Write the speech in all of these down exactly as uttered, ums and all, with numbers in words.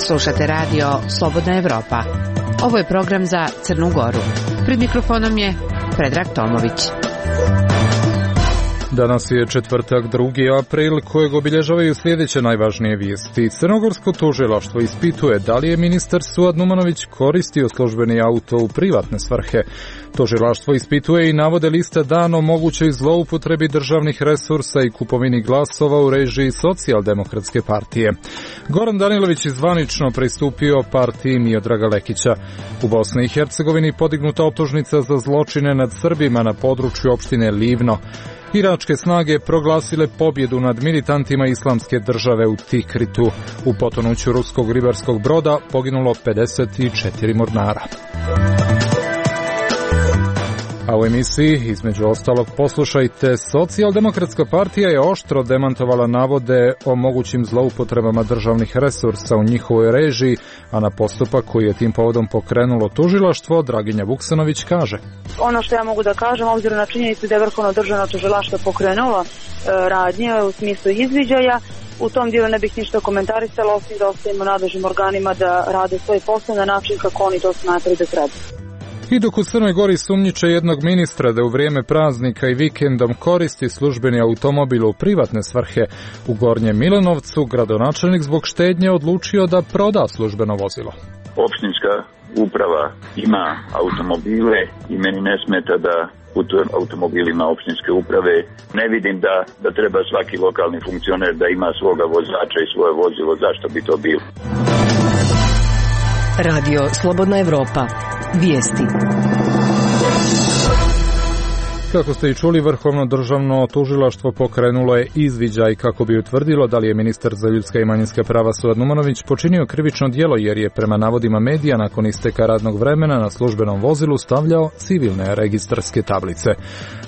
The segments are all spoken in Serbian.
Slušate radio Slobodna Evropa. Ovo je program za Crnu Goru. Pred mikrofonom je Predrag Tomović. Danas je četvrtak, drugi april, kojeg obilježavaju sljedeće najvažnije vijesti. Crnogorsko tužilaštvo ispituje da li je ministar Suad Numanović koristio službeni auto u privatne svrhe. Tužilaštvo ispituje i navode liste dana o mogućoj zloupotrebi državnih resursa i kupovini glasova u režiji Socijaldemokratske partije. Goran Danilović je zvanično pristupio partiji Miodraga Lekića. U Bosni i Hercegovini podignuta optužnica za zločine nad Srbima na području opštine Livno. Iračke snage proglasile pobjedu nad militantima islamske države u Tikritu. U potonuću ruskog ribarskog broda poginulo pedeset četiri mornara. A u emisiji, između ostalog, poslušajte, Socijaldemokratska partija je oštro demantovala navode o mogućim zloupotrebama državnih resursa u njihovoj režiji, a na postupak koji je tim povodom pokrenulo tužilaštvo, Draginja Vuksanović kaže: Ono što ja mogu da kažem, obzirom na činjenicu da je Vrhovno državno tužilaštvo pokrenulo e, radnje u smislu izviđaja, u tom dijelu ne bih ništa komentarisala, osim da ostavimo nadležnim organima da rade svoj posao na način kako oni to smatraju da treba. I dok u Crnoj Gori sumnjiče jednog ministra da u vrijeme praznika i vikendom koristi službeni automobil u privatne svrhe, u Gornjem Milanovcu gradonačelnik zbog štednje odlučio da proda službeno vozilo. Opštinska uprava ima automobile i meni ne smeta da putujem automobilima opštinske uprave. Ne vidim da, da treba svaki lokalni funkcioner da ima svoga vozača i svoje vozilo. Zašto bi to bilo? Radio Slobodna Evropa. Vijesti. Kako ste i čuli, Vrhovno državno tužilaštvo pokrenulo je izviđaj kako bi utvrdilo da li je ministar za ljudska i manjinska prava Suad Numanović počinio krivično djelo jer je prema navodima medija nakon isteka radnog vremena na službenom vozilu stavljao civilne registarske tablice.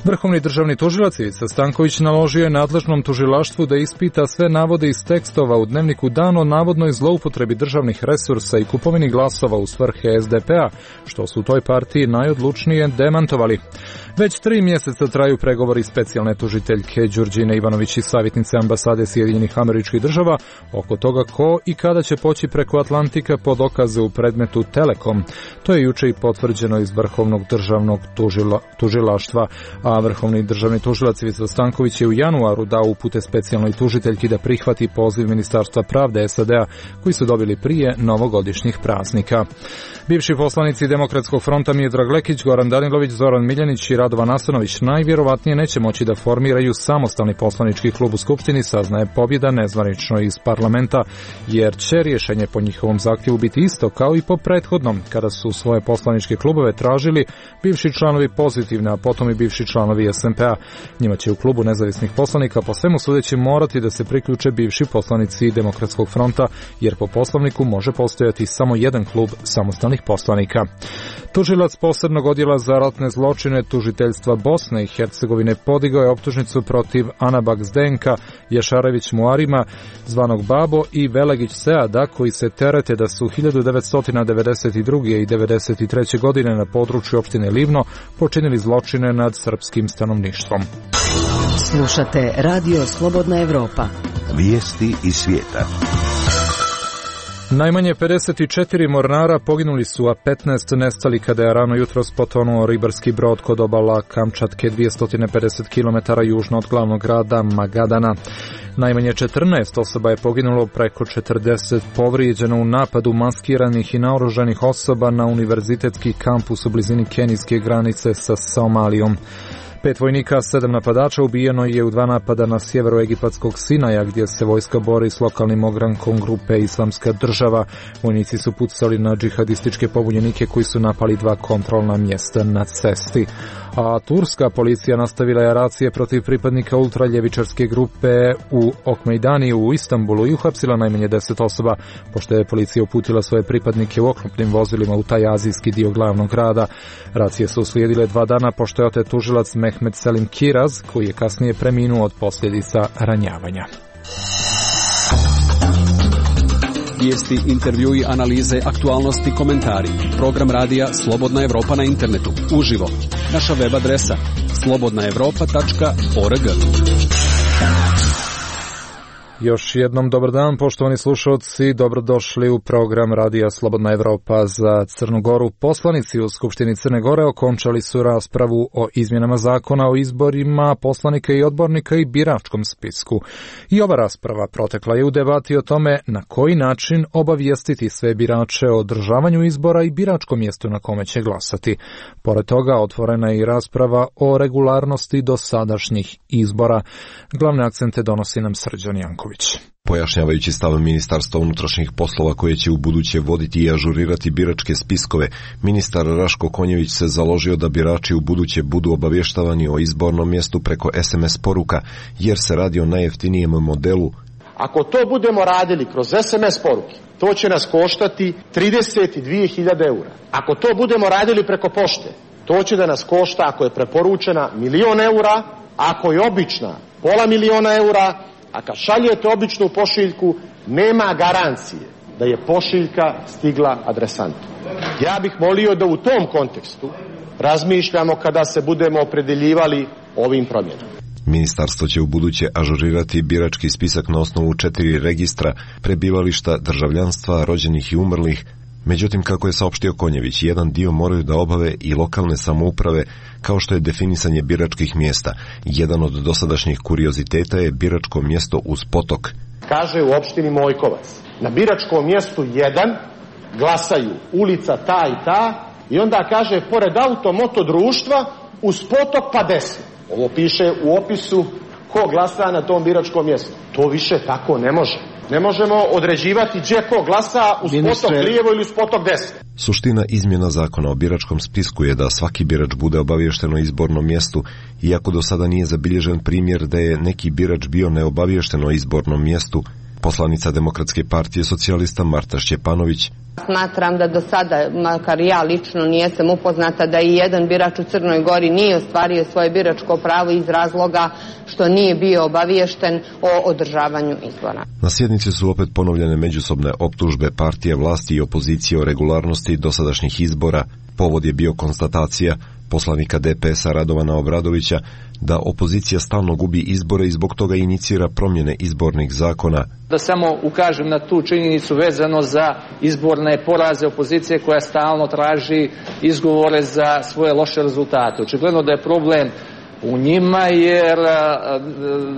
Vrhovni državni tužilac Ivica Stanković naložio je nadležnom tužilaštvu da ispita sve navode iz tekstova u dnevniku Dan o navodnoj zloupotrebi državnih resursa i kupovini glasova u svrhe es de pe a, što su u toj partiji najodlučnije demantovali. Već tri mjeseca traju pregovori specijalne tužiteljke Đurđine Ivanović i savjetnice ambasade Sjedinjenih Američkih Država oko toga ko i kada će poći preko Atlantika po dokaze u predmetu Telekom. To je juče i potvrđeno iz Vrhovnog državnog tužila, tužilaštva, a Vrhovni državni tužilac Ivica Stanković je u januaru dao upute specijalnoj tužiteljki da prihvati poziv Ministarstva pravde es a de a koji su dobili prije novogodišnjih praznika. Bivši poslanici Demokratskog fronta Miodrag Lekić, Goran Danilović, Zoran Miljanić i Radovan Asanović najvjerovatnije neće moći da formiraju samostalni poslanički klub u Skupštini, saznaje Pobjeda nezvanično iz parlamenta, jer će rješenje po njihovom zahtjevu biti isto kao i po prethodnom, kada su svoje poslaničke klubove tražili bivši članovi Pozitivne, a potom i bivši članovi es en pe a. Njima će u klubu nezavisnih poslanika po svemu sudeći morati da se priključe bivši poslanici Demokratskog fronta, jer po poslovniku može postojati samo jedan klub samostalnih poslanika. Tužilac posebnog odjela za ratne zločine tužiteljstva Bosne i Hercegovine podigao je optužnicu protiv Anabak Zdenka, Jašarević Muarima, zvanog Babo, i Velegić Seada, koji se terete da su hiljadu devetsto devedeset druge i devedeset treće godine na području opštine Livno počinili zločine nad srpskim stanovništvom. Slušate Radio Slobodna Evropa. Vijesti iz svijeta. Najmanje pedeset četiri mornara poginuli su, a petnaest nestali kada je rano jutros potonuo ribarski brod kod obala Kamčatke dvjesto pedeset kilometara južno od glavnog grada Magadana. Najmanje četrnaest osoba je poginulo, preko četrdeset povrijeđeno u napadu maskiranih i naoružanih osoba na univerzitetski kampus u blizini kenijske granice sa Somalijom. Pet vojnika, sedam napadača ubijeno je u dva napada na sjeveru egipatskog Sinaja, gdje se vojska bori s lokalnim ogrankom grupe Islamska država. Vojnici su pucali na džihadističke pobunjenike koji su napali dva kontrolna mjesta na cesti. A turska policija nastavila je racije protiv pripadnika ultraljevičarske grupe u Okmejdaniju u Istanbulu i uhapsila najmanje deset osoba, pošto je policija uputila svoje pripadnike u oklopnim vozilima u taj azijski dio glavnog grada. Racije su uslijedile dva dana pošto je otet tužilac Mehmet Selim Kiraz, koji je kasnije preminuo od posljedica ranjavanja. Vijesti, intervjui, analize, aktualnosti, komentari. Program radija Slobodna Evropa na internetu. Uživo. Naša web adresa slobodna evropa tačka org. Još jednom dobar dan, poštovani slušalci, dobrodošli u program radija Slobodna Evropa za Crnu Goru. Poslanici u Skupštini Crne Gore okončali su raspravu o izmjenama zakona o izborima poslanika i odbornika i biračkom spisku. I ova rasprava protekla je u debati o tome na koji način obavijestiti sve birače o održavanju izbora i biračkom mjestu na kome će glasati. Pored toga otvorena je i rasprava o regularnosti dosadašnjih izbora. Glavne akcente donosi nam Srđan Janković. Pojašnjavajući stav Ministarstva unutrašnjih poslova koje će u buduće voditi i ažurirati biračke spiskove, ministar Raško Konjević se založio da birači u buduće budu obavještavani o izbornom mjestu preko es em es poruka, jer se radi o najjeftinijem modelu. Ako to budemo radili kroz es em es poruke, to će nas koštati trideset dvije hiljade eura. Ako to budemo radili preko pošte, to će da nas košta, ako je preporučena, milion eura, ako je obična, pola miliona eura, a kad šaljete običnu pošiljku, nema garancije da je pošiljka stigla adresantu. Ja bih molio da u tom kontekstu razmišljamo kada se budemo opredeljivali ovim promjenama. Ministarstvo će u buduće ažurirati birački spisak na osnovu četiri registra: prebivališta, državljanstva, rođenih i umrlih. Međutim, kako je saopštio Konjević, jedan dio moraju da obave i lokalne samouprave, kao što je definisanje biračkih mjesta. Jedan od dosadašnjih kurioziteta je biračko mjesto uz potok. Kaže u opštini Mojkovac, na biračkom mjestu jedan glasaju ulica ta i ta, i onda kaže pored automoto društva uz potok pa desno. Ovo piše u opisu ko glasa na tom biračkom mjestu. To više tako ne može. Ne možemo određivati gdje ko glasa uz Ministre... potok lijevo ili uz potok desno. Suština izmjena zakona o biračkom spisku je da svaki birač bude obaviješten o izbornom mjestu, iako do sada nije zabilježen primjer da je neki birač bio neobaviješten o izbornom mjestu. Poslanica Demokratske partije socijalista Marta Šćepanović. Smatram da do sada, makar ja lično nijesam upoznata, da i jedan birač u Crnoj Gori nije ostvario svoje biračko pravo iz razloga što nije bio obaviješten o održavanju izbora. Na sjednici su opet ponovljene međusobne optužbe partije vlasti i opozicije o regularnosti dosadašnjih izbora. Povod je bio konstatacija poslanika de pe es-a Radovana Obradovića da opozicija stalno gubi izbore i zbog toga inicira promjene izbornih zakona. Da samo ukažem na tu činjenicu vezano za izborne poraze opozicije koja stalno traži izgovore za svoje loše rezultate. Očigledno da je problem u njima, jer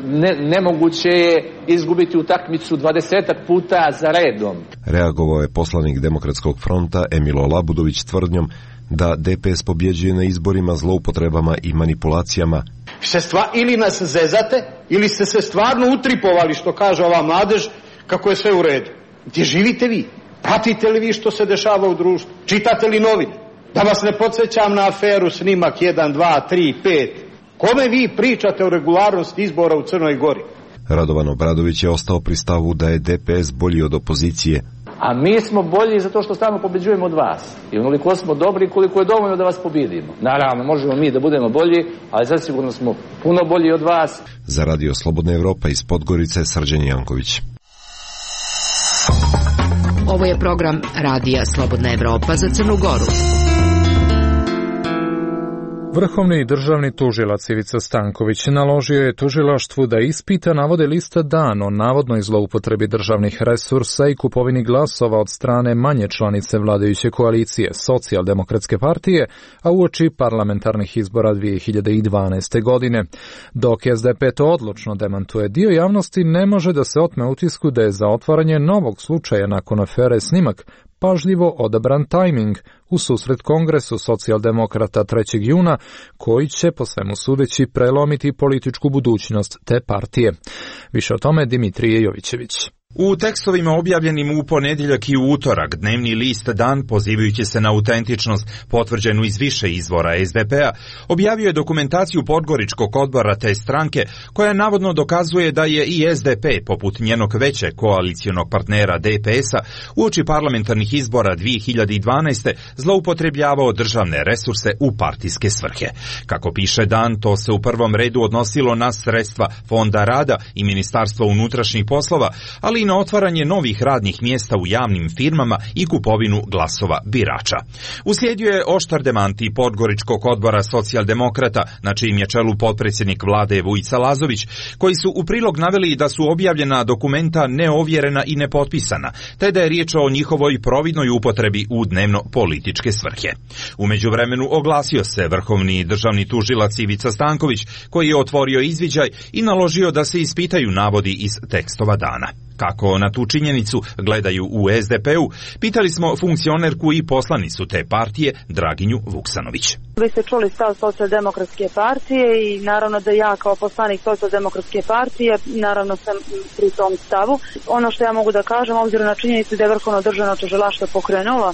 ne, nemoguće je izgubiti utakmicu dvadesetak puta za redom. Reagovao je poslanik Demokratskog fronta Emilo Labudović tvrdnjom da de pe es pobjeđuje na izborima zloupotrebama i manipulacijama. Se stva, ili nas zezate, ili ste se stvarno utripovali, što kaže ova mladež, kako je sve u redu. Gdje živite vi? Pratite li vi što se dešava u društvu? Čitate li novine? Da vas ne podsjećam na aferu snimak jedan, dva, tri, pet. Kome vi pričate o regularnosti izbora u Crnoj Gori? Radovan Obradović je ostao pri stavu da je de pe es bolji od opozicije. A mi smo bolji zato što stalno pobjeđujemo od vas. I onoliko smo dobri koliko je dovoljno da vas pobjedimo. Naravno, možemo mi da budemo bolji, ali zasigurno smo puno bolji od vas. Za Radio Slobodna Evropa iz Podgorice, Srđan Janković. Ovo je program Radija Slobodna Evropa za Crnu Goru. Vrhovni državni tužilac Ivica Stanković naložio je tužilaštvu da ispita navode lista Dan o navodnoj zloupotrebi državnih resursa i kupovini glasova od strane manje članice vladajuće koalicije Socijaldemokratske partije, a uoči parlamentarnih izbora dvije hiljade dvanaeste. godine. Dok es de pe to odlučno demantuje, dio javnosti ne može da se otme utisku da je za otvaranje novog slučaja nakon afere Snimak pažljivo odabran tajming u susret Kongresu socijaldemokrata trećeg juna, koji će po svemu sudeći prelomiti političku budućnost te partije. Više o tome Dimitrije Jovićević. U tekstovima objavljenim u ponedjeljak i u utorak, dnevni list Dan, pozivajući se na autentičnost potvrđenu iz više izvora es de pe-a, objavio je dokumentaciju Podgoričkog odbora te stranke, koja navodno dokazuje da je i es de pe, poput njenog većeg koalicijonog partnera de pe es-a, uoči parlamentarnih izbora dvije hiljade dvanaeste. zloupotrebljavao državne resurse u partijske svrhe. Kako piše Dan, to se u prvom redu odnosilo na sredstva Fonda rada i Ministarstva unutrašnjih poslova, ali i na otvaranje novih radnih mjesta u javnim firmama i kupovinu glasova birača. Uslijedio je oštar demanti Podgoričkog odbora socijaldemokrata, na čijim je čelu potpredsjednik vlade Vujica Lazović, koji su u prilog naveli da su objavljena dokumenta neovjerena i nepotpisana, te da je riječ o njihovoj providnoj upotrebi u dnevno političke svrhe. U međuvremenu oglasio se vrhovni državni tužilac Ivica Stanković, koji je otvorio izviđaj i naložio da se ispitaju navodi iz tekstova dana. Kako na tu činjenicu gledaju u es de pe u, pitali smo funkcionerku i poslanicu te partije Draginju Vuksanović. Vi ste čuli stav Socijaldemokratske partije i naravno da ja kao poslanik Socijaldemokratske partije naravno sam pri tom stavu. Ono što ja mogu da kažem, obzirom na činjenicu da je Vrhovno državno tužilaštvo pokrenulo e,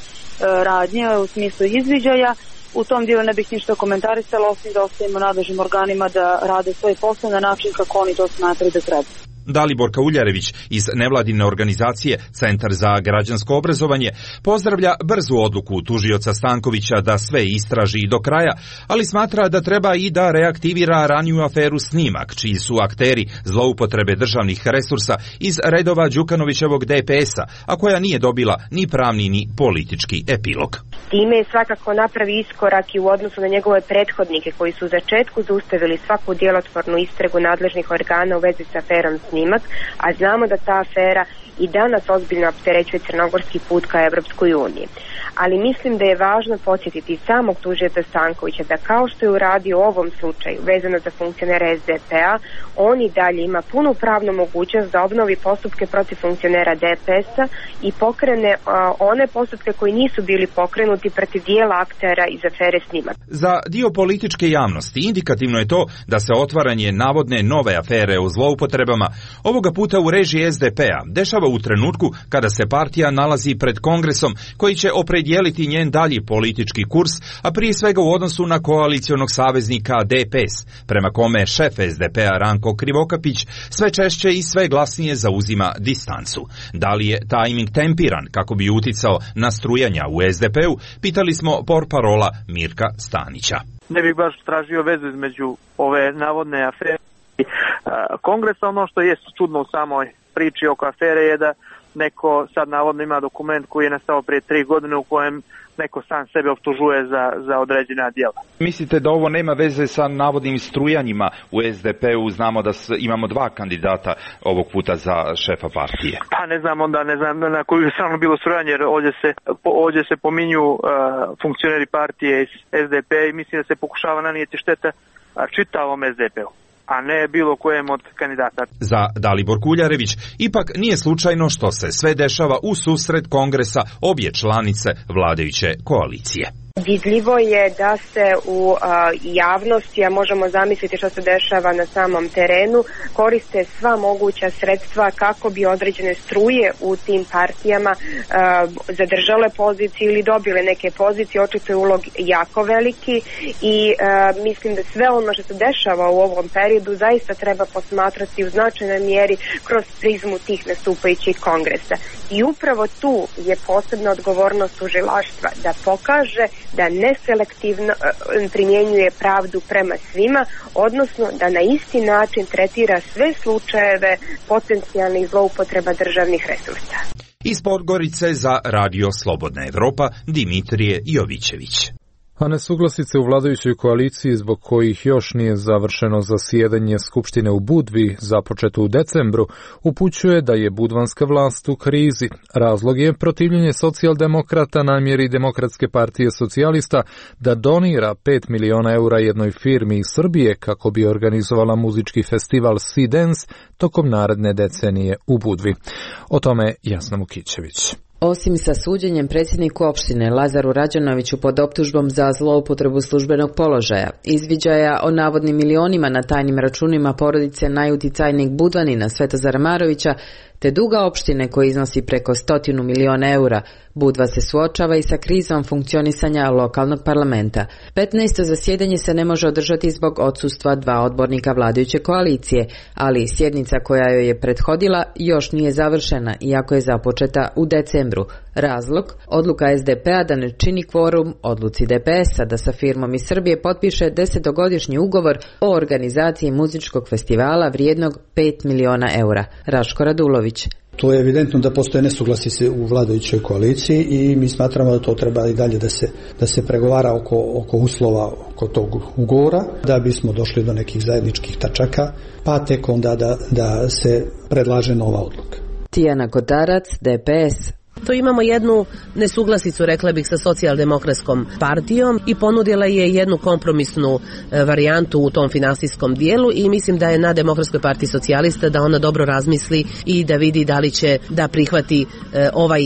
radnje u smislu izviđaja, u tom dijelu ne bih ništa komentarisala, osim da ostavimo nadležnim organima da rade svoj posao na način kako oni to smatraju da treba. Dalibor Kauljarević iz nevladine organizacije Centar za građansko obrazovanje pozdravlja brzu odluku tužioca Stankovića da sve istraži do kraja, ali smatra da treba i da reaktivira raniju aferu Snimak, čiji su akteri zloupotrebe državnih resursa iz redova Đukanovićevog de pe es a, a koja nije dobila ni pravni ni politički epilog. Time je svakako napravi iskorak i u odnosu na njegove prethodnike koji su u začetku zaustavili svaku djelotvornu istragu nadležnih organa u vezi sa aferom Snimak, a znamo da ta afera i danas ozbiljno opterećuje crnogorski put ka Evropskoj uniji. Ali mislim da je važno podsjetiti samog tužioca Stankovića da kao što je uradio u ovom slučaju vezano za funkcionera es de pe a, on i dalje ima punu pravnu mogućnost da obnovi postupke protiv funkcionera de pe es a i pokrene a, one postupke koji nisu bili pokrenuti protiv dijela aktera iz afere Snimak. Za dio političke javnosti indikativno je to da se otvaranje navodne nove afere o zloupotrebama ovoga puta u režiji es de pe a dešava u trenutku kada se partija nalazi pred kongresom koji će opredijeliti njen dalji politički kurs, a prije svega u odnosu na koalicionog saveznika de pe es, prema kome šef es de pe a Ranko Krivokapić sve češće i sve glasnije zauzima distancu. Da li je tajming tempiran kako bi uticao na strujanja u es de pe u, pitali smo portparola Mirka Stanića. Ne bih baš tražio vezu između ove navodne afere i kongresa. Ono što je čudno u samoj priči oko afere je da neko sad navodno ima dokument koji je nastao prije tri godine u kojem neko sam sebe optužuje za, za određena djela. Mislite da ovo nema veze sa navodnim strujanjima u es de pe u? Znamo da imamo dva kandidata ovog puta za šefa partije. Pa ne znam onda, ne znam na koju je stvarno bilo strujanje, jer ovdje se, ovdje se pominju uh, funkcioneri partije iz es de pe i mislim da se pokušava nanijeti šteta čitavom es de pe u, a ne bilo kojem od kandidata. Za Dalibor Kuljarević ipak nije slučajno što se sve dešava u susret kongresa obje članice vladajuće koalicije. Vidljivo je da se u a, javnosti, a možemo zamisliti što se dešava na samom terenu, koriste sva moguća sredstva kako bi određene struje u tim partijama a, zadržale pozicije ili dobile neke pozicije. Očito je ulog jako veliki i a, mislim da sve ono što se dešava u ovom periodu zaista treba posmatrati u značajnoj mjeri kroz prizmu tih nastupajućih kongresa. I upravo tu je posebna odgovornost tužilaštva da pokaže da neselektivno primjenjuje pravdu prema svima, odnosno da na isti način tretira sve slučajeve potencijalnih zloupotreba državnih resursa. Iz Podgorice za Radio Slobodna Evropa Dimitrije Jovićević. A nesuglasice u vladajućoj koaliciji zbog kojih još nije završeno zasjedanje Skupštine u Budvi, započeto u decembru, upućuje da je budvanska vlast u krizi. Razlog je protivljenje socijaldemokrata namjeri Demokratske partije socijalista da donira pet miliona eura jednoj firmi iz Srbije kako bi organizovala muzički festival Sea Dance tokom naredne decenije u Budvi. O tome Jasna Mukićević. Osim sa suđenjem predsjedniku opštine Lazaru Rađanoviću pod optužbom za zloupotrebu službenog položaja, izviđaja o navodnim milionima na tajnim računima porodice najuticajnijeg Budvanina Svetozara Marovića, te duga opštine koji iznosi preko stotinu miliona eura, Budva se suočava i sa krizom funkcionisanja lokalnog parlamenta. petnaesto zasjedanje se ne može održati zbog odsustva dva odbornika vladajuće koalicije, ali sjednica koja joj je prethodila još nije završena, iako je započeta u decembru. Razlog? Odluka es de pe a da ne čini kvorum odluci de pe es a da sa firmom iz Srbije potpiše desetogodišnji ugovor o organizaciji muzičkog festivala vrijednog pet miliona eura. Raško Radulović. To je evidentno da postoje nesuglasice u vladajućoj koaliciji i mi smatramo da to treba i dalje da se, da se pregovara oko, oko uslova, oko tog ugovora, da bismo došli do nekih zajedničkih tačaka, pa tek onda da, da se predlaže nova odluka. Tijana Kotarac, D P S. To imamo jednu nesuglasicu, rekla bih, sa socijaldemokratskom partijom i ponudila je jednu kompromisnu varijantu u tom finansijskom dijelu i mislim da je na Demokratskoj partiji socijalista da ona dobro razmisli i da vidi da li će da prihvati ovaj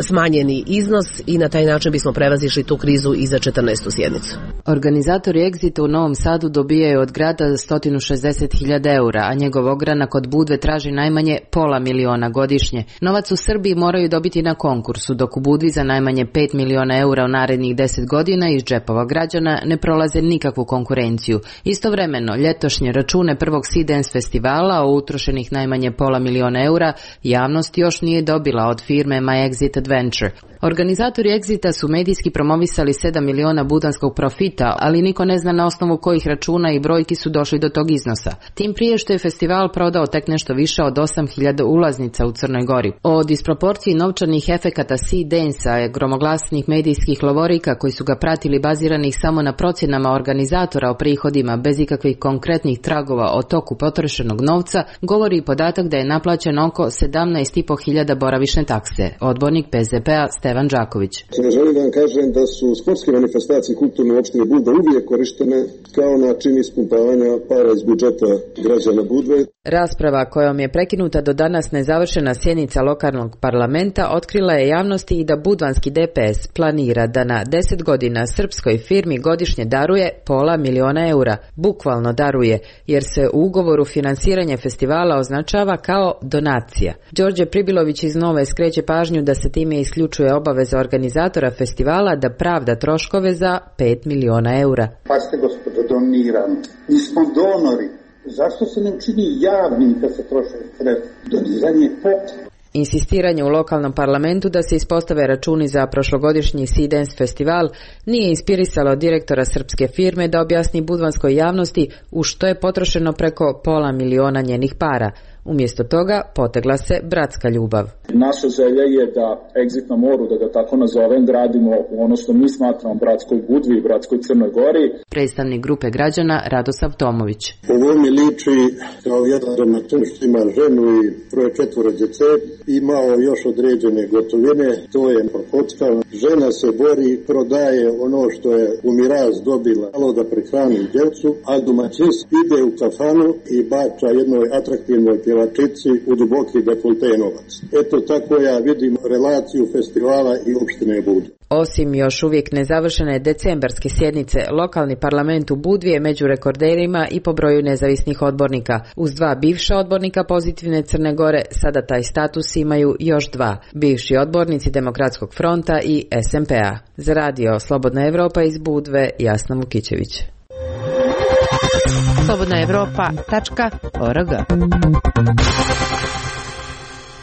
smanjeni iznos i na taj način bismo prevazišli tu krizu i za četrnaestu sjednicu. Organizatori Exita u Novom Sadu dobijaju od grada sto šezdeset hiljada eura, a njegov ogranak od Budve traži najmanje pola miliona godišnje. Novac u Srbiji moraju dobiti na konkursu, dok u Budvi za najmanje pet miliona eura u narednih deset godina iz džepova građana ne prolaze nikakvu konkurenciju. Istovremeno, ljetošnje račune prvog Sea Dance festivala o utrošenih najmanje pola miliona eura javnost još nije dobila od firme My Exit Adventure. Organizatori Exita su medijski promovisali sedam miliona budanskog profita, ali niko ne zna na osnovu kojih računa i brojki su došli do tog iznosa. Tim prije što je festival prodao tek nešto više od osam hiljada ulaznica u Crnoj Gori. O disproporciji novčanih efekata Sea Dance-a, gromoglasnih medijskih lovorika koji su ga pratili baziranih samo na procjenama organizatora o prihodima bez ikakvih konkretnih tragova o toku potrošenog novca, govori i podatak da je naplaćeno oko sedamnaest i po hiljada boravišne takse. Odbornik P Z P-a Stevan Đaković. Želim da vam kažem da su sportske manifestacije kulturne opštine Budva uvijek korištene kao način ispumpavanja para iz budžeta građana Budve. Rasprava kojom je prekinuta do danas nezavršena sjednica lokalnog parlamenta otkrila je javnosti i da budvanski D P S planira da na deset godina srpskoj firmi godišnje daruje pola miliona eura. Bukvalno daruje, jer se u ugovoru finansiranje festivala označava kao donacija. Đorđe Pribilović iz Nove skreće pažnju da se time isključuje obaveza organizatora festivala da pravda troškove za pet miliona eura. Pa ste gospodo donirani, mi smo donori. Zašto se ne učini javnim kad se troše sredstva? Doniranje potrebno. Insistiranje u lokalnom parlamentu da se ispostave računi za prošlogodišnji Sea Dance festival nije inspirisalo direktora srpske firme da objasni budvanskoj javnosti u što je potrošeno preko pola miliona njenih para. Umjesto toga potegla se bratska ljubav. Naša želja je da Exit na moru, da ga tako nazovem, gradimo u ono što mi smatramo bratskoj Budvi i bratskoj Crnoj Gori. Predstavnik grupe građana Radosav Tomović. Ovo mi liči kao jedan domaćin što ima ženu i troje četvore djece, imao još određene gotovine, to je prokockano. Žena se bori, prodaje ono što je u miraz dobila, malo da prehrani djecu, a domaćin ide u kafanu i bača jednoj atraktivnoj pjevačici u duboki dekolte novac. Eto tako ja vidim relaciju festivala i opštine Budva. Osim još uvijek nezavršene decembarske sjednice, lokalni parlament u Budvi je među rekorderima i po broju nezavisnih odbornika. Uz dva bivša odbornika pozitivne Crne Gore, sada taj status imaju još dva, bivši odbornici Demokratskog fronta i S M P-a. Za radio Slobodna Evropa iz Budve, Jasna Vukićević. slobodna evropa tačka org.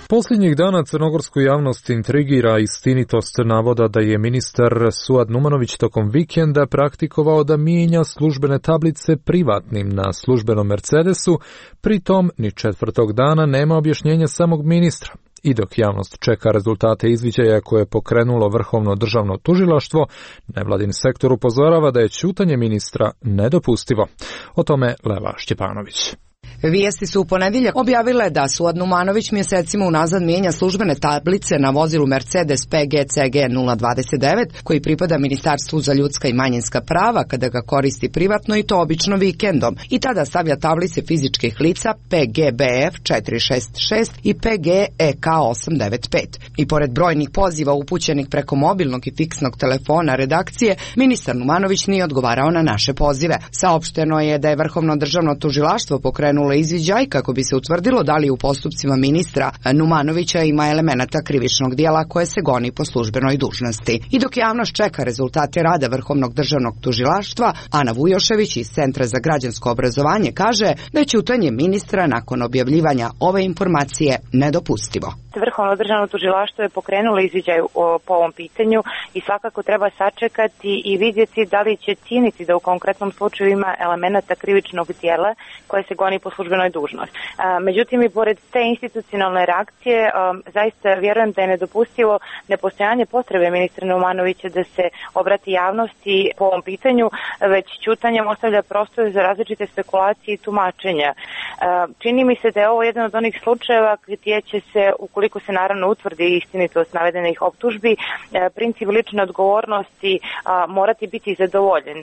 Posljednjih dana crnogorsku javnost intrigira istinitost navoda da je ministar Suad Numanović tokom vikenda praktikovao da mijenja službene tablice privatnim na službenom Mercedesu, pritom ni četvrtog dana nema objašnjenja samog ministra. I dok javnost čeka rezultate izviđaja koje je pokrenulo Vrhovno državno tužilaštvo, nevladin sektor upozorava da je ćutanje ministra nedopustivo. O tome Lela Šćepanović. Vijesti su u ponedjeljak objavile da Suad Numanović mjesecima unazad mijenja službene tablice na vozilu Mercedes P G C G nula dvadeset devet koji pripada Ministarstvu za ljudska i manjinska prava kada ga koristi privatno i to obično vikendom i tada stavlja tablice fizičkih lica P G B F četiri šest šest i P G E K osam devet pet. I pored brojnih poziva upućenih preko mobilnog i fiksnog telefona redakcije, ministar Numanović nije odgovarao na naše pozive. Saopšteno je da je Vrhovno državno tužilaštvo pokrenulo izviđaj kako bi se utvrdilo da li u postupcima ministra Numanovića ima elemenata krivičnog dijela koje se goni po službenoj dužnosti. I dok javnost čeka rezultate rada Vrhovnog državnog tužilaštva, Ana Vujošević iz Centra za građansko obrazovanje kaže da je ćutanje ministra nakon objavljivanja ove informacije nedopustivo. Vrhovno državno tužilaštvo je pokrenulo izviđaj po ovom pitanju i svakako treba sačekati i vidjeti da li će cijeniti da u konkretnom slučaju ima elemenata krivičnog djela koje se goni po službenoj dužnosti. Međutim, i pored te institucionalne reakcije, zaista vjerujem da je nedopustivo nepostojanje potrebe ministra Numanovića da se obrati javnosti po ovom pitanju, već ćutanjem ostavlja prostor za različite spekulacije i tumačenja. Čini mi se da je ovo jedan od onih slučajeva gdje će se, ukoliko se naravno utvrdi istinitost navedenih optužbi, princip lične odgovornosti morati biti zadovoljen,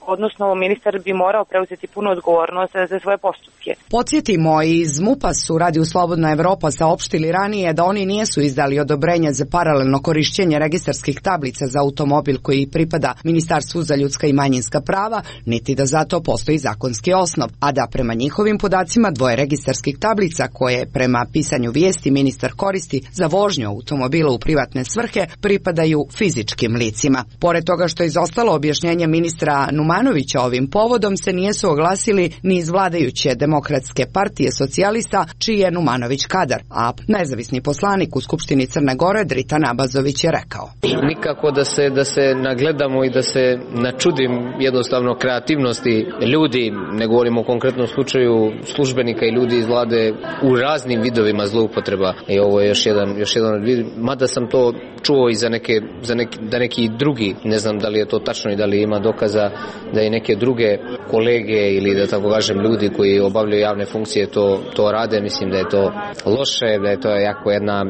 odnosno ministar bi morao preuzeti punu odgovornost za svoje postupke. Podsjetimo, iz MUP-a su Radio Slobodna Evropa saopštili ranije da oni nisu izdali odobrenje za paralelno korišćenje registarskih tablica za automobil koji pripada Ministarstvu za ljudska i manjinska prava, niti da zato postoji zakonski osnov, a da prema njihovim podacima dvoje registarskih tablica koje prema pisanju vijesti ministar koristi za vožnju automobila u privatne svrhe pripadaju fizičkim licima. Pored toga što je izostalo objašnjenje ministra Numanovića ovim povodom, se nijesu oglasili ni iz vladajuće Demokratske partije socijalista, čiji je Numanović kadar, a nezavisni poslanik u Skupštini Crne Gore Dritan Abazović je rekao: nikako da se, da se nagledamo i da se načudim jednostavno kreativnosti ljudi, ne govorimo o konkretnom slučaju službenika i ljudi iz vlade u raznim vidovima zloupotreba. I ovo je još jedan, još jedan vid, mada sam to čuo i za neke, za neki, da neki drugi, ne znam da li je to tačno i da li ima dokaza da i neke druge kolege ili da tako kažem ljudi koji obavljaju javne funkcije to, to rade. Mislim da je to loše, da je to jako jedna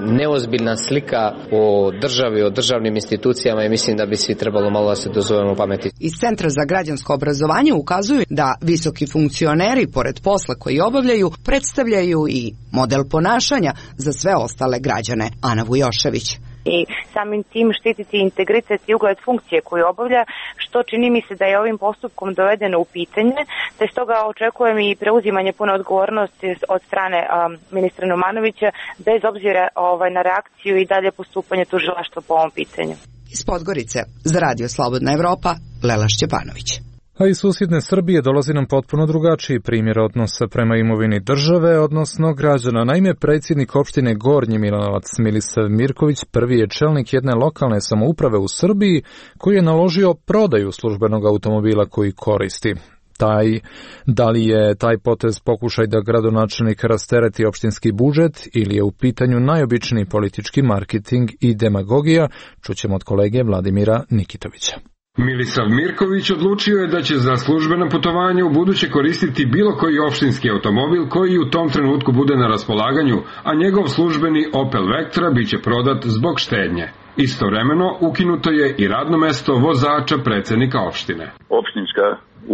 neozbiljna slika o državi, o državnim institucijama i mislim da bi svi trebalo malo da se dozovemo pameti. Iz Centra za građansko obrazovanje ukazuju da visoki funkcioneri, pored posla koji obavljaju, predstavljaju i model ponašanja za sve ostale građane. Ana Vujošević. I samim tim štititi integritet i ugled funkcije koju obavlja, što čini mi se da je ovim postupkom dovedeno u pitanje, te stoga očekujem i preuzimanje pune odgovornosti od strane um, ministra Numanovića, bez obzira ovaj, na reakciju i dalje postupanje tužilaštva po ovom pitanju. Iz Podgorice, za Radio Slobodna Evropa, Lela Šćepanović. A iz susjedne Srbije dolazi nam potpuno drugačiji primjer odnosa prema imovini države, odnosno građana. Naime, predsjednik opštine Gornji Milanovac Milisav Mirković prvi je čelnik jedne lokalne samouprave u Srbiji koji je naložio prodaju službenog automobila koji koristi. Taj, da li je taj potez pokušaj da gradonačelnik rastereti opštinski budžet ili je u pitanju najobičniji politički marketing i demagogija, čućemo od kolege Vladimira Nikitovića. Milisav Mirković odlučio je da će za službeno putovanje u buduće koristiti bilo koji opštinski automobil koji u tom trenutku bude na raspolaganju, a njegov službeni Opel Vectra biće prodat zbog štednje. Istovremeno ukinuto je i radno mesto vozača predsjednika opštine. Opštinska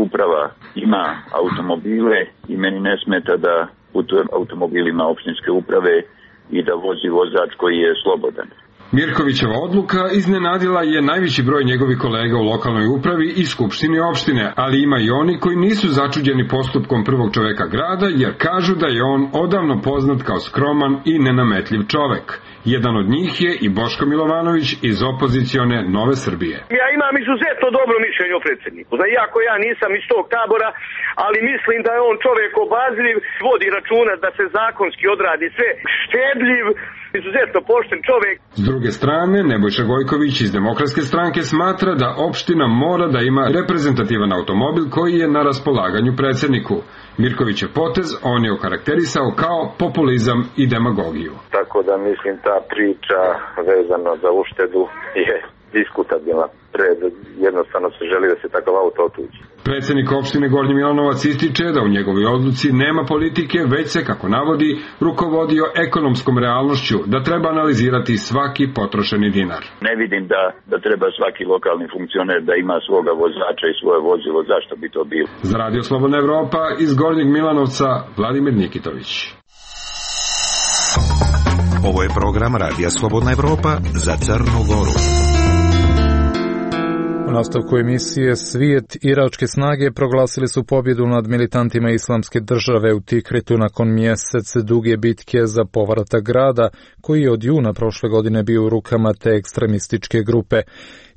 uprava ima automobile i meni ne smeta da putujem automobilima opštinske uprave i da vozi vozač koji je slobodan. Mirkovićeva odluka iznenadila je najveći broj njegovih kolega u lokalnoj upravi i skupštini opštine, ali ima i oni koji nisu začuđeni postupkom prvog čoveka grada, jer kažu da je on odavno poznat kao skroman i nenametljiv čovek. Jedan od njih je i Boško Milovanović iz opozicione Nove Srbije. Ja imam izuzetno dobro mišljenje o predsjedniku. Znači, iako ja nisam iz tog tabora, ali mislim da je on čovjek obazriv, vodi računa da se zakonski odradi sve, štedljiv, izuzetno pošten čovjek. S druge strane, Nebojša Gojković iz Demokratske stranke smatra da opština mora da ima reprezentativan automobil koji je na raspolaganju predsjedniku. Mirkovićev potez on je okarakterisao kao populizam i demagogiju. Tako da mislim ta priča vezano za uštedu je diskutabilna. Pred, jednostavno se želi da se takav auto otuđi. Predsjednik opštine Gornji Milanovac ističe da u njegovoj odluci nema politike, već se, kako navodi, rukovodio ekonomskom realnošću, da treba analizirati svaki potrošeni dinar. Ne vidim da, da treba svaki lokalni funkcioner da ima svoga vozača i svoje vozilo, zašto bi to bilo. Za Radio Slobodna Evropa iz Gornjeg Milanovca, Vladimir Nikitović. Ovo je program Radija Slobodna Evropa za Crnu Goru. U nastavku emisije Svijet, iračke snage proglasili su pobjedu nad militantima Islamske države u Tikritu nakon mjesec duge bitke za povratak grada, koji je od juna prošle godine bio u rukama te ekstremističke grupe.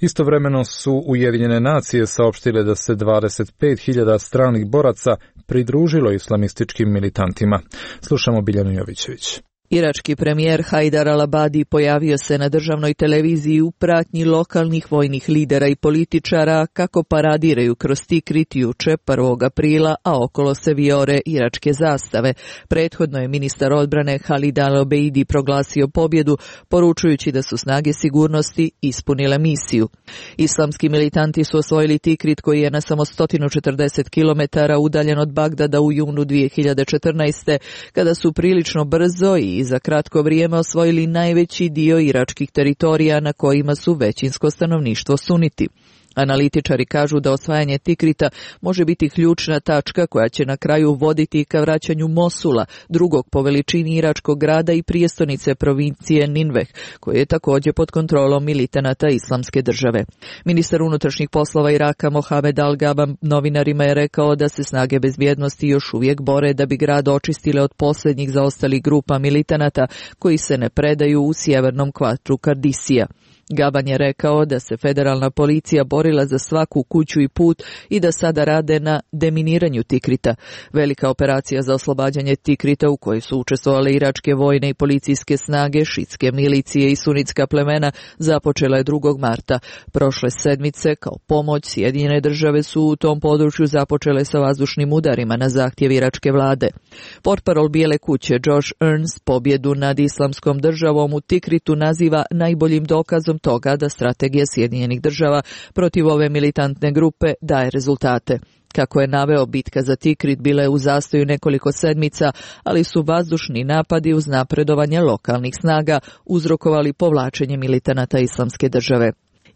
Istovremeno su Ujedinjene nacije saopštile da se dvadeset pet hiljada stranih boraca pridružilo islamističkim militantima. Slušamo Biljanu Jovićević. Irački premijer Hajdar al-Abadi pojavio se na državnoj televiziji u pratnji lokalnih vojnih lidera i političara kako paradiraju kroz Tikrit juče prvog aprila, a okolo se vijore iračke zastave. Prethodno je ministar odbrane Halid al-Obeidi proglasio pobjedu, poručujući da su snage sigurnosti ispunile misiju. Islamski militanti su osvojili Tikrit, koji je na samo sto četrdeset kilometara udaljen od Bagdada u junu dvije hiljade četrnaeste. kada su prilično brzo i za kratko vrijeme osvojili najveći dio iračkih teritorija na kojima su većinsko stanovništvo suniti. Analitičari kažu da osvajanje Tikrita može biti ključna tačka koja će na kraju voditi ka vraćanju Mosula, drugog po veličini iračkog grada i prijestolnice provincije Ninveh, koji je također pod kontrolom militanata Islamske države. Ministar unutrašnjih poslova Iraka Mohamed Al-Gaba novinarima je rekao da se snage bezbjednosti još uvijek bore da bi grad očistile od posljednjih zaostalih grupa militanata koji se ne predaju u sjevernom kvartu Kardisija. Gaban je rekao da se federalna policija borila za svaku kuću i put i da sada rade na deminiranju Tikrita. Velika operacija za oslobađanje Tikrita, u kojoj su učestvovale iračke vojne i policijske snage, šitske milicije i sunitska plemena, započela je drugog marta. Prošle sedmice, kao pomoć, Sjedinjene države su u tom području započele sa vazdušnim udarima na zahtjev iračke vlade. Portparol Bijele kuće Josh Earns pobjedu nad Islamskom državom u Tikritu naziva najboljim dokazom toga da strategija Sjedinjenih država protiv ove militantne grupe daje rezultate. Kako je naveo, bitka za Tikrit bila je u zastoju nekoliko sedmica, ali su vazdušni napadi uz napredovanje lokalnih snaga uzrokovali povlačenje militanata Islamske države.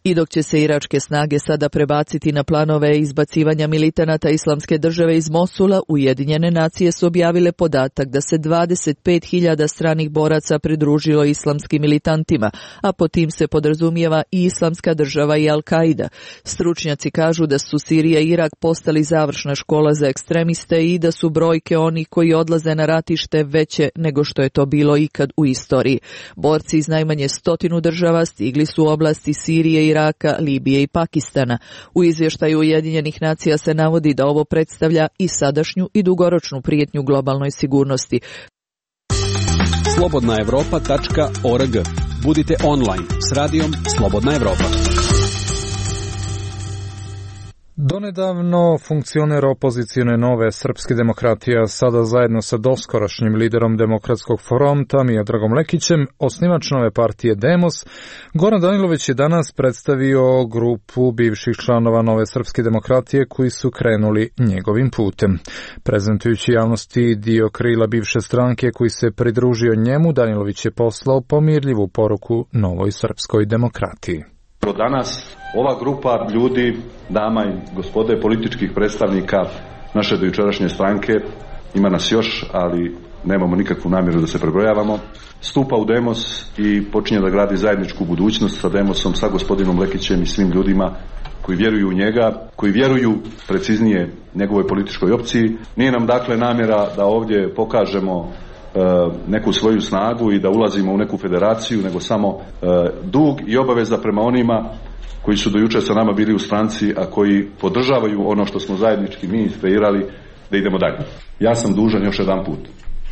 I dok će se iračke snage sada prebaciti na planove izbacivanja militanata Islamske države iz Mosula, Ujedinjene nacije su objavile podatak da se dvadeset pet hiljada stranih boraca pridružilo islamskim militantima, a po tim se podrazumijeva i Islamska država i Al-Qaida. Stručnjaci kažu da su Sirija i Irak postali završna škola za ekstremiste i da su brojke onih koji odlaze na ratište veće nego što je to bilo ikad u istoriji. Borci iz najmanje stotinu država stigli su u oblasti Sirije i Iraka, Libije i Pakistana. U izvještaju Ujedinjenih nacija se navodi da ovo predstavlja i sadašnju i dugoročnu prijetnju globalnoj sigurnosti. slobodna evropa tačka org. Budite online s radijom Slobodna Evropa. Donedavno funkcioner opozicijone Nove srpske demokratije, sada zajedno sa doskorašnjim liderom Demokratskog fronta Miodragom Lekićem, osnivač nove partije Demos, Goran Danilović je danas predstavio grupu bivših članova Nove srpske demokratije koji su krenuli njegovim putem. Prezentujući javnosti dio krila bivše stranke koji se pridružio njemu, Danilović je poslao pomirljivu poruku Novoj srpskoj demokratiji. Od danas ova grupa ljudi, dama i gospode političkih predstavnika naše dojučerašnje stranke, ima nas još, ali nemamo nikakvu namjeru da se prebrojavamo, stupa u Demos i počinje da gradi zajedničku budućnost sa Demosom, sa gospodinom Lekićem i svim ljudima koji vjeruju u njega, koji vjeruju, preciznije, njegovoj političkoj opciji. Nije nam dakle namjera da ovdje pokažemo neku svoju snagu i da ulazimo u neku federaciju, nego samo dug i obaveza prema onima koji su do jučer sa nama bili u stranci, a koji podržavaju ono što smo zajednički mi iskreirali, da idemo dalje. Ja sam dužan još jedan put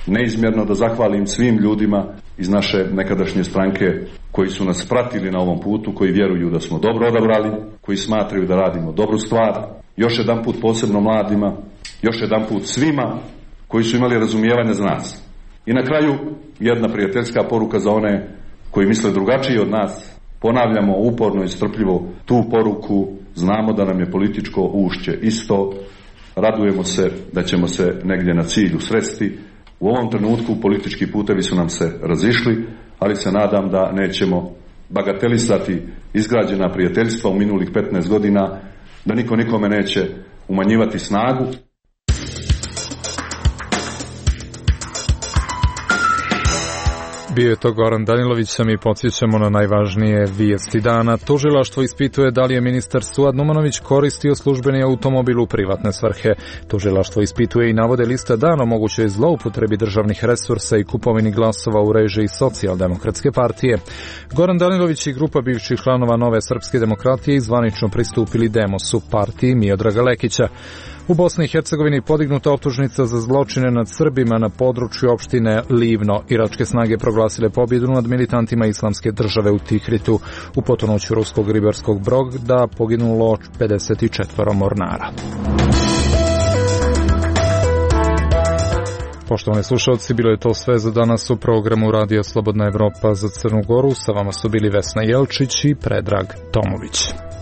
neizmjerno da zahvalim svim ljudima iz naše nekadašnje stranke koji su nas pratili na ovom putu, koji vjeruju da smo dobro odabrali, koji smatraju da radimo dobru stvar. Još jedan put posebno mladima, još jedan put svima koji su imali razumijevanje za nas. I na kraju jedna prijateljska poruka za one koji misle drugačije od nas. Ponavljamo uporno i strpljivo tu poruku, znamo da nam je političko ušće isto, radujemo se da ćemo se negdje na cilju sresti. U ovom trenutku politički putevi su nam se razišli, ali se nadam da nećemo bagatelisati izgrađena prijateljstva u minulih petnaest godina, da niko nikome neće umanjivati snagu. Bio je to Goran Danilović, a mi podsjećamo na najvažnije vijesti dana. Tužilaštvo ispituje da li je ministar Suad Numanović koristio službeni automobil u privatne svrhe. Tužilaštvo ispituje i navode liste dana o mogućoj zloupotrebi državnih resursa i kupovini glasova u režiji Socijaldemokratske partije. Goran Danilović i grupa bivših članova Nove srpske demokratije zvanično pristupili Demosu, partiji Miodraga Lekića. U Bosni i Hercegovini podignuta optužnica za zločine nad Srbima na području opštine Livno. Iračke snage proglasile pobjedu nad militantima Islamske države u Tikritu. U potonuću ruskog ribarskog broda poginulo pedeset četiri mornara. Poštovani slušalci, bilo je to sve za danas u programu Radija Slobodna Evropa za Crnu Goru. Sa vama su bili Vesna Jelčić i Predrag Tomović.